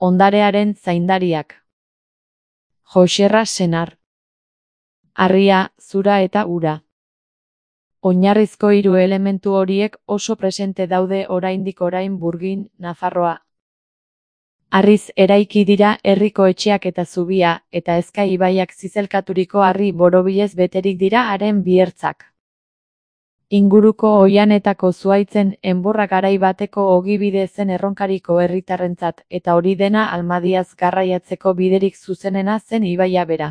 Ondarearen zaindariak. Joxerra senar. Harria, zura eta ura. Oinarrizko hiru elementu horiek oso presente daude oraindik orain Burgin, Nafarroa. Harriz eraiki dira herriko etxeak eta zubia, eta Ezkai ibaiak zizelkaturiko harri borobilez beterik dira haren biertzak. Inguruko oihanetako zuhaitzen enborra garai bateko ogibide zen erronkariko herritarrentzat, eta hori dena Almadiaz garraiatzeko biderik zuzenena zen ibaia bera.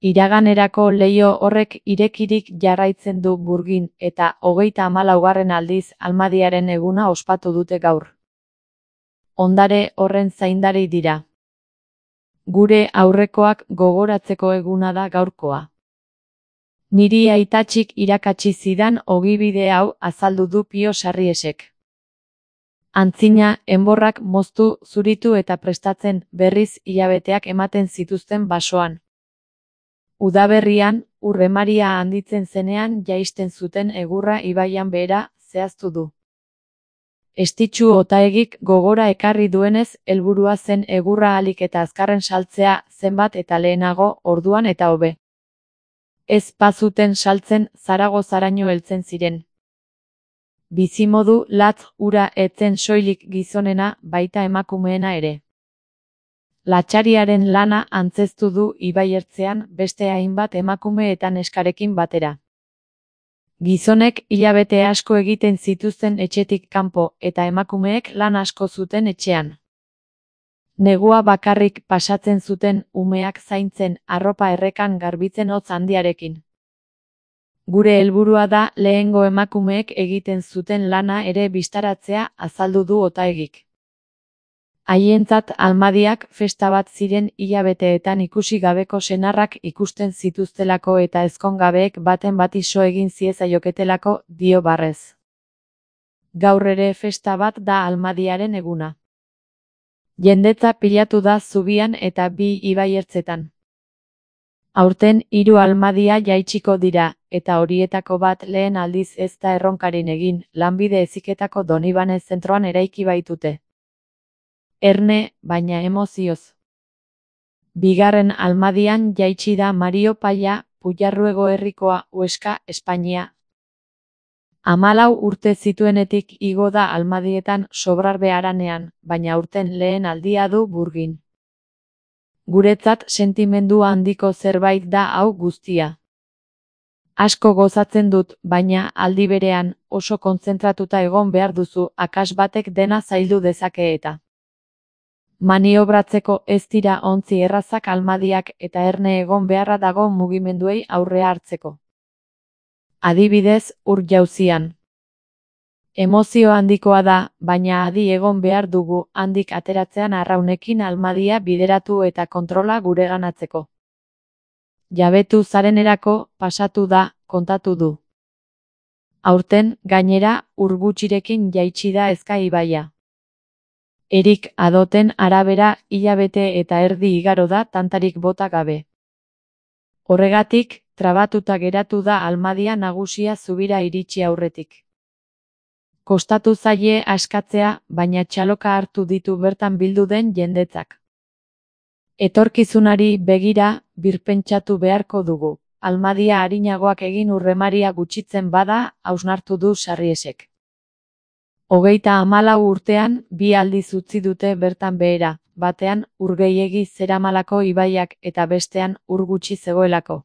Iraganerako leiho horrek irekirik jarraitzen du Burgin, eta 34. aldiz Almadiaren eguna ospatu dute gaur. Ondare horren zaindari dira. Gure aurrekoak gogoratzeko eguna da gaurkoa. Niri aitatxik irakatsi zidan ogibide hau azaldu du Pio Sarriesek. Antzina, enborrak moztu, zuritu eta prestatzen berriz hilabeteak ematen zituzten basoan. Udaberrian, urremaria handitzen zenean jaisten zuten egurra ibaian behera zehaztu du. Estitxu Otaegik gogora ekarri duenez, helburua zen egurra ahalik eta azkarren saltzea zenbat eta lehenago, orduan eta hobe. Ez bazuten saltzen Zaragozaraino heltzen ziren. Bizimodu latz hura etzen soilik gizonena, baita emakumeena ere. Latxariaren lana antzeztu du ibaiertzean beste hainbat emakume eta neskarekin batera. Gizonek hilabete asko egiten zituzten etxetik kanpo eta emakumeek lan asko zuten etxean. Negua bakarrik pasatzen zuten umeak zaintzen, arropa errekan garbitzen hotz handiarekin. Gure helburua da lehengo emakumeek egiten zuten lana ere bistaratzea, azaldu du Otaegik. Haientzat Almadiak festa bat ziren hilabeteetan ikusi gabeko senarrak ikusten zituztelako eta ezkongabeek baten bati so egin ziezaioketelako, dio barrez. Gaur ere festa bat da Almadiaren eguna. Jendetza pilatu da zubian eta bi ibaiertzetan. Aurten 3 Almadia jaitsiko dira, eta horietako bat lehen aldiz ez da erronkarin egin, lanbide heziketako Donibane zentroan eraiki baitute. Erne, baina emozioz. 2. Almadian jaitsi da Mario Palla, Puyarruego herrikoa, Huesca, Espainia. 14 urte zituenetik igo da Almadietan Sobrarbe haranean, baina aurten lehen aldia du Burgin. Guretzat sentimendu handiko zerbait da hau guztia. Asko gozatzen dut, baina aldi berean oso kontzentratuta egon behar duzu, akats batek dena zaildu dezake eta. Maniobratzeko ez dira ontzi errazak Almadiak eta erne egon beharra dago mugimenduei aurrea hartzeko. Adibidez, ur-jauzian. Emozio handikoa da, baina adi egon behar dugu handik ateratzean arraunekin Almadia bideratu eta kontrola gureganatzeko. Jabetu zarenerako pasatu da, kontatu du. Aurten, gainera, ur gutxirekin jaitsi da Ezkai ibaia. Erik Adoten arabera hilabete eta erdi igaro da tantarik bota gabe. Horregatik, trabatuta geratu da Almadia nagusia zubira iritsi aurretik. Kostatu zaie askatzea, baina txaloka hartu ditu bertan bildu den jendetzak. Etorkizunari begira, birpentsatu beharko dugu. Almadia arinagoak egin urremaria gutxitzen bada, hausnartu du Sarriesek. 34 urtean, 2 aldiz utzi dute bertan behera, batean ur gehiegi zeramalako ibaiak eta bestean ur gutxi zegoelako.